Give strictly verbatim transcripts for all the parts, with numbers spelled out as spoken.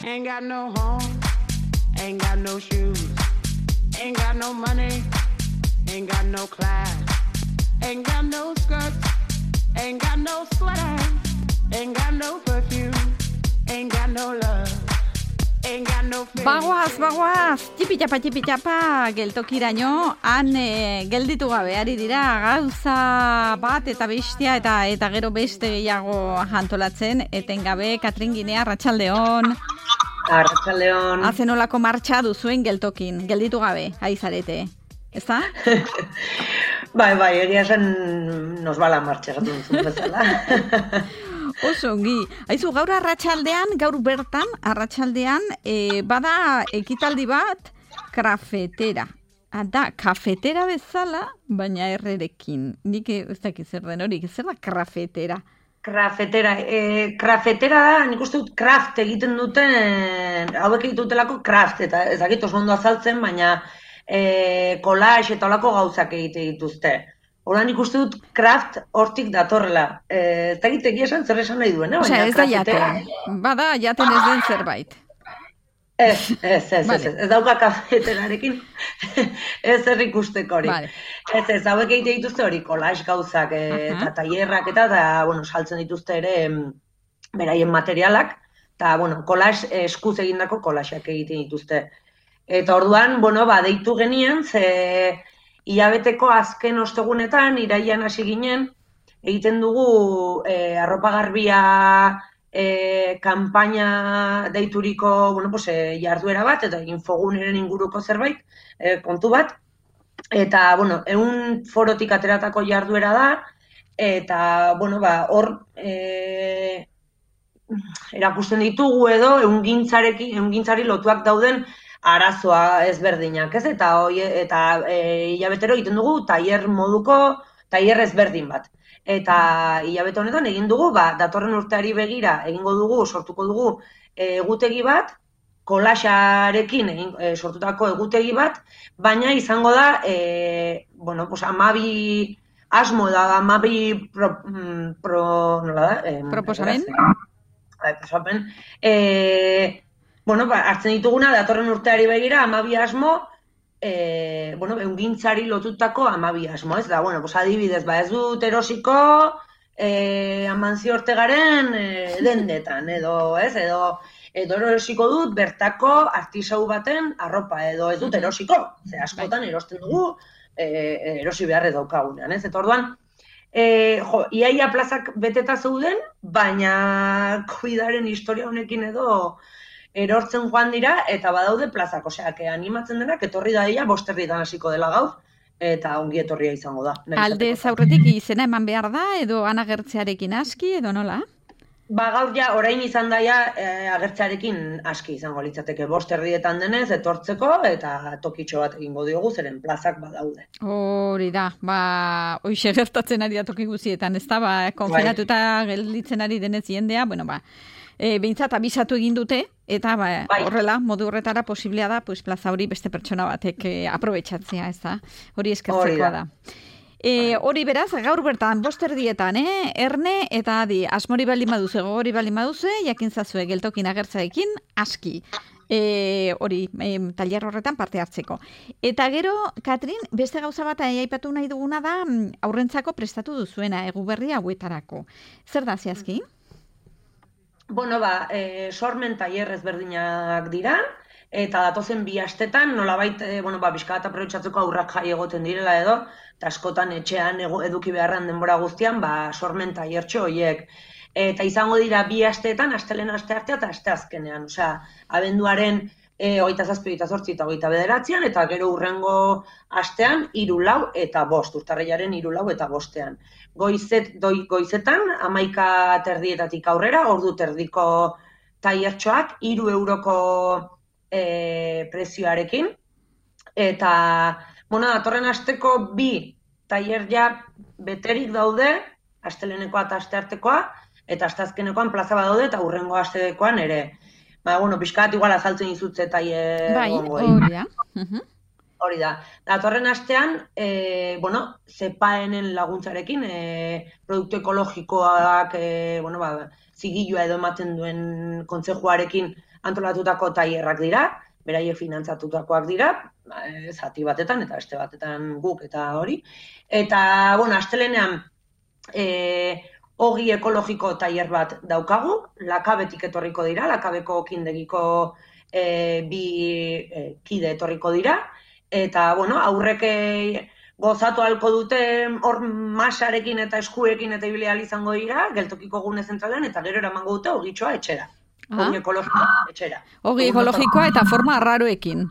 Ain't got no home, ain't got no shoes, ain't got no money, ain't got no class, ain't got no skirts, ain't got no sweater, ain't got no perfume, ain't got no love. Bagoaz, bagoaz, tipitapa, tipitapa, geltokiraino, han e, gelditu gabe, ari dira, gauza bat eta bestia eta eta gero beste gehiago antolatzen, etengabe, Katrin Ginea, arratsaldeon. Arratsaldeon. Hazen olako martxa duzuen geltokin, gelditu gabe, ari zarete, ezta? Bai, bai, egia esan nos bala martxa gatu duzun bezala. Oso ongi. Aizu, gaur arratsaldean, gaur bertan, arratsaldean, e, bada ekitaldi bat, krafetera. Da, kafetera bezala, baina errerekin. Nik ez dakit zer den hori, zer da krafetera? Krafetera, e, krafetera da, nik uste dut kraft egiten duten, hauek egiten dutelako kraft, eta ez dakit oso ondo azaltzen, baina e, collage eta olako gauzak egite dituzte. Horan ikuste dut kraft hortik datorrela. Ez da egitek esan zer esan nahi duen, eh? Osea, ez da jaten. Bada, jaten ez den zerbait. Ez, ez, ez, ez, ez dauka kafeterarekin ez zer ikusteko hori. Vale. Ez, ez, hauek egite dituzte hori, collage gauzak eta tailerrak eta, eta, bueno, saltzen dituzte ere beraien materialak, eta, bueno, collage eskuz egindako collageak egiten dituzte. Eta orduan, bueno, ba, deitu genien, ze hilabeteko azken ostegunetan, iraian hasi ginen, egiten dugu e, arropa garbia e, kanpaina deituriko bueno, pues, e, jarduera bat, eta infoguneren inguruko zerbait, e, kontu bat. Eta, bueno, egun forotik ateratako jarduera da, eta, bueno, ba, hor e, erakusten ditugu edo, ehungintzarekin, ehungintzari lotuak dauden arazoa ezberdinak, ez? Eta hoi, eta e, hilabetero egiten dugu tailer moduko, tailer ezberdin bat. Eta hilabete honetan egin dugu, ba, datorren urteari begira egingo dugu, sortuko dugu e, egutegi bat, collagearekin egin e, sortutako egutegi bat, baina izango da, e, bueno, pues amabi asmo da, amabi pro, pro nola da? E, Proposamen? Proposamen. E, Bueno, ba, hartzen dituguna, datorren urteari begira, amabi asmo, e, bueno, ehungintzari lotutako amabi asmo, ez da, bueno, pues adibidez, ba, ez dut erosiko e, Amancio Ortegaren e, dendetan, edo, ez, edo, edo erosiko dut bertako artisau baten arropa, edo ez dut erosiko, ze askotan erosten dugu, e, erosi beharre daukagunean, ez, eta orduan, e, jo, iaia plazak beteta zeuden, baina covidaren historia honekin edo, erortzen joan dira, eta badaude plazak, osea, que animatzen denak, etorri da dira, bosterritan hasiko dela gaur, eta ongi etorria izango da. Alde zaurretik izena eman behar da, edo anagertzearekin aski, edo nola? Ba, gaur ja, orain izan daia, e, agertzearekin aski izango litzateke, bosterrietan denez, etortzeko, eta tokitxo bat egingo diogu, zeren plazak badaude. Hori da, ba, hoixe gertatzen ari da toki guzietan, ez da, ba, konfinatuta gelditzen ari denez jendea, bueno, ba, E, behintzat abisatu egin dute, eta ba, bai. Horrela, modu horretara posiblea da, pues, plaza hori beste pertsona batek e, aprobetxatzea, ez da? Hori eskertzekoa da. E, hori beraz, gaur bertan, bosterdietan, eh? Erne eta adi, asmori bali maduze, gogori bali maduze, jakin zazue geltokin agertzaekin, aski. E, hori, e, tailer horretan parte hartzeko. Eta gero, Katrin, beste gauza bat aipatu nahi duguna da, aurrentzako prestatu duzuena, eguberri hauetarako. Zer da zehazki? Bueno, ba, e, sormen tailer ezberdinak dira, eta datozen bi astetan, nolabait, e, bueno, ba, bizka bat aprobetxatzeko aurrak jai egoten direla edo, eta askotan etxean eduki beharran denbora guztian, ba, sormen tailertxo horiek. Eta izango dira bi asteetan, astelen aste artea eta aste azkenean, osea, abenduaren e, hogeita zazpi, hogeita zortzi eta hogeita bederatzean, eta gero hurrengo astean, hiru lau eta bost, urtarrilaren hiru lau eta bostean. Goizet, doi, goizetan, hamaika terdietatik aurrera, ordu terdiko tailertxoak, hiru euroko e, prezioarekin. Eta, bueno, datorren asteko bi tailer ja beterik daude, astelenekoa eta asteartekoa, eta asteazkenekoan plaza badaude, eta hurrengo astekoan ere. Ba, bueno, pixkat igual azaltzen izutze tailer bai, gongoei. hori da. Uh-huh. Hori da. Datorren astean, e, bueno, zepaenen laguntzarekin, e, produktu ekologikoak, e, bueno, ba, zigilua edo ematen duen kontzejuarekin antolatutako tailerrak dira, beraiek finantzatutakoak dira, zati batetan eta beste batetan guk eta hori. Eta, bueno, astelenean e, ogi ekologiko tailer bat daukagu, Lakabetik etorriko dira, Lakabeko kindegiko e, bi e, kide etorriko dira, eta, bueno, aurrek gozatu halko dute hor masarekin eta eskuekin eta ibili ahal izango dira, geltokiko gune zentralean, eta gero eramango dute ogitxoa etxera. Ah. Ogi ekologikoa etxera. Ogi ekologikoa eta forma arraroekin.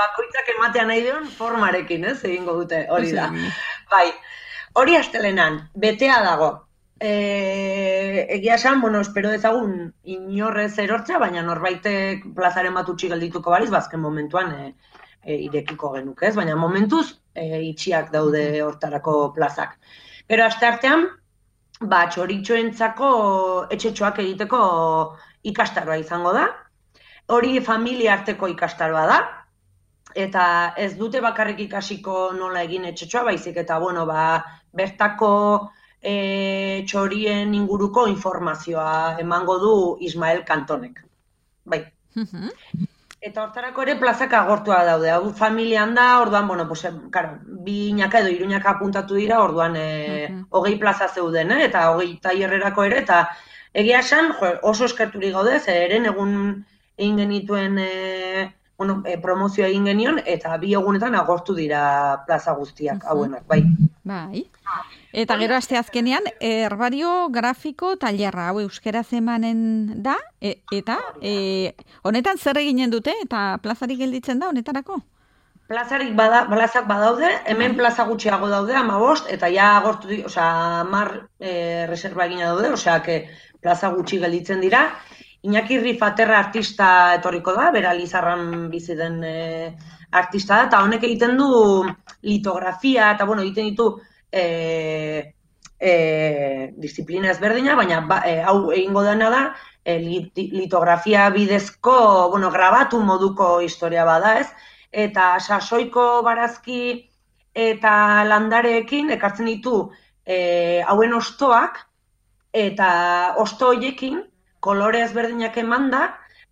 Bakoitzak ematean nahi duen formarekin, ez, egingo dute, hori da. Bai, hori astelenan, betea dago. E, egia esan, bueno, espero dezagun inorrez erortza, baina norbaitek plazaren bat utzi geldituko baliz, bazken momentuan e, e, irekiko genuke, ez? Baina momentuz e, itxiak daude hortarako plazak. Gero asteartean, ba, txoritxoentzako etxetxoak egiteko ikastaroa izango da. Hori familia arteko ikastaroa da. Eta ez dute bakarrik ikasiko nola egin etxetxoa, baizik eta, bueno, ba, bertako e, txorien inguruko informazioa emango du Ismael Kantonek. Bai. Eta hortarako ere plazak agortua daude. Hau familian da, orduan, bueno, pues, karo, bi inaka edo iruñaka apuntatu dira, orduan e, hogei plaza zeuden, eh? Eta hogei tailerrerako ere, eta egia esan, jo, oso eskerturik gaude, zeren egun egin genituen e, bueno, e, promozioa egin genion, eta bi egunetan agortu dira plaza guztiak, hauenak, bai. Bai. Eta gero asteazkenean, herbario grafiko tailerra, hau euskaraz emanen da, e, eta e, honetan zer eginen dute, eta plazarik gelditzen da honetarako? Plazarik bada, plazak badaude, hemen plaza gutxiago daude, hamabost, eta ja agortu, osea, hamar e, reserva egina daude, osea, que plaza gutxi gelditzen dira. Iñaki Rifaterra artista etorriko da, bera Lizarran bizi den e, artista da, eta honek egiten du litografia, eta bueno, egiten ditu E, e, disiplina ezberdina, baina ba, e, hau egingo dena da e, litografia bidezko, bueno, grabatu moduko historia bada, ez? Eta sasoiko barazki eta landareekin ekartzen ditu e, hauen ostoak, eta osto hoiekin kolore ezberdinak emanda,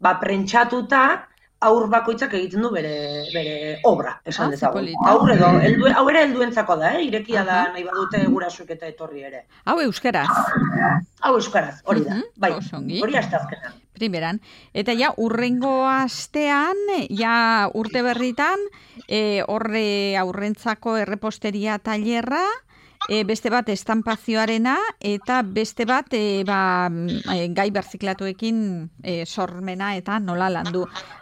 ba, prentxatuta, aur bakoitzak egiten du bere, bere obra, esan ah, dezagun. Aur edo, eldu, hau ere helduentzako da, eh? Irekia da nahi badute gurasuek eta etorri ere. Hau euskaraz? Hau euskaraz, hori da. Uh-huh. Bai, Osongi. Hori asteazkenan. Primeran. Eta ja, urrengo astean, ja urte berritan, e, horre aurrentzako erreposteria tailerra, E, beste bat estampazioarena eta beste bat e, ba, e, gai berziklatuekin e, sormena eta nola landu.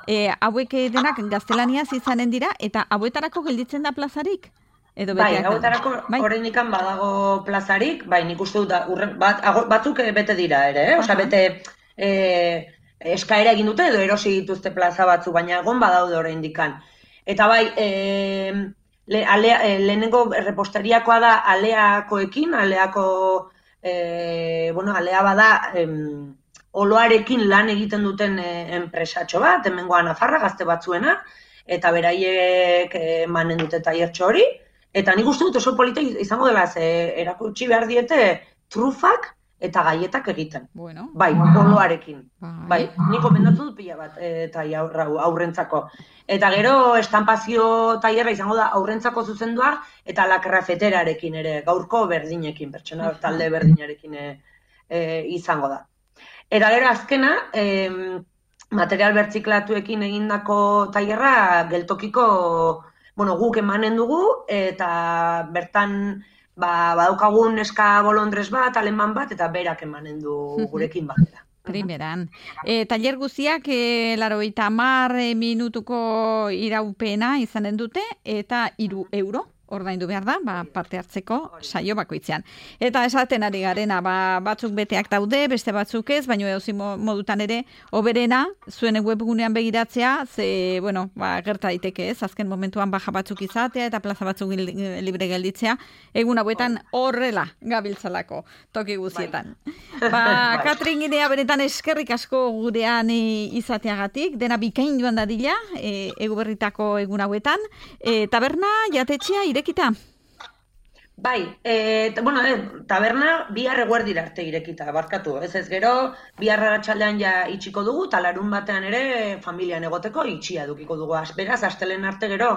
E, hauek denak gaztelaniaz izanen dira eta hauetarako gelditzen da plazarik? Edo bai, hauetarako bai? Oraindikan badago plazarik, bai, nik uste dut urren, bat, batzuk bete dira ere, eh? Osea, bete e, eskaera egin dute edo erosi dituzte plaza batzu, baina egon badaude oraindikan. Eta bai, eh Le, alea, e, lehenengo erreposteriakoa da aleakoekin, aleako, e, bueno, alea bada em, oloarekin lan egiten duten e, enpresatxo bat, hemengoa Nafarra gazte batzuena, eta beraiek emanen dute tailertxo hori, eta nik uste dut oso polita izango dela, ze erakutsi behar diete trufak eta gaietak egiten. Bueno. Bai, oloarekin. Bai, bai nik komendatu dut pila bat eta aurrentzako. Eta gero estampazio tailerra izango da aurrentzako zuzendua eta lakrafeterarekin ere, gaurko berdinekin, pertsona talde berdinarekin e, e, izango da. Eta gero azkena, e, material bertziklatuekin egindako tailerra geltokiko, bueno, guk emanen dugu, eta bertan ba, badaukagun neska bolondrez bat, aleman bat, eta berak emanen du gurekin batera. Primeran. E, tailer guztiak, e, larogeita hamar minutuko iraupena izanen dute, eta hiru euro ordaindu behar da, ba, parte hartzeko saio bakoitzean. Eta esaten ari garena, ba, batzuk beteak daude, beste batzuk ez, baina edozein modutan ere, oberena, zuen webgunean begiratzea, ze, bueno, ba, gerta daiteke ez, azken momentuan baja batzuk izatea, eta plaza batzuk libre gelditzea, egun hauetan horrela gabiltzalako toki guzietan. Ba, Katrin Ginea, benetan eskerrik asko gurean e, izateagatik, dena bikain joan dadila, e, egu berritako egun hauetan, e, taberna, jatetxea, irekita? Bai, e, bueno, e, taberna bihar eguerdira arte irekita, barkatu, ez ez gero, bihar arratsaldean ja itxiko dugu, eta larun batean ere familian egoteko itxia dukiko dugu. Beraz, astelen arte gero,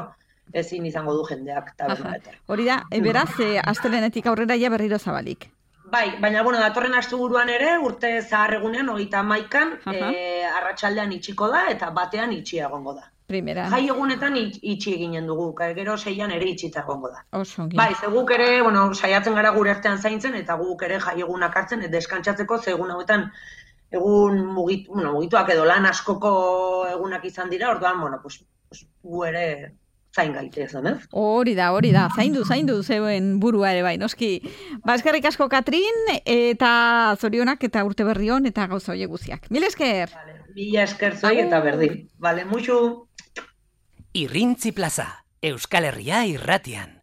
ezin izango du jendeak tabernaetan. Hori da, e, beraz, e, astelenetik aurrera ja berriro zabalik. Bai, baina, bueno, datorren asteburuan ere, urte zahar egunean, hogeita hamaikan, e, arratsaldean itxiko da, eta batean itxia egongo da. Primera. Jai egunetan itxi eginen dugu, gero seian ere itxita egongo da. Osongi. Bai, ze guk ere, bueno, saiatzen gara gure artean zaintzen, eta guk ere jai egunak hartzen, deskantsatzeko, ze egun hauetan, egun mugitu, bueno, mugituak edo lan askoko egunak izan dira, orduan, bueno, pues, pues gu ere zain gaitezen, ez? Hori da, hori da, zaindu, zaindu zeuen burua ere bai, noski. Ba, eskerrik asko Katrin, eta zorionak eta urte berri on, eta gauza hoiek guztiak. Mil esker! Vale, mila esker zoi eta berdin. Vale, muxu! Irrintzi plaza, Euskal Herria irratian.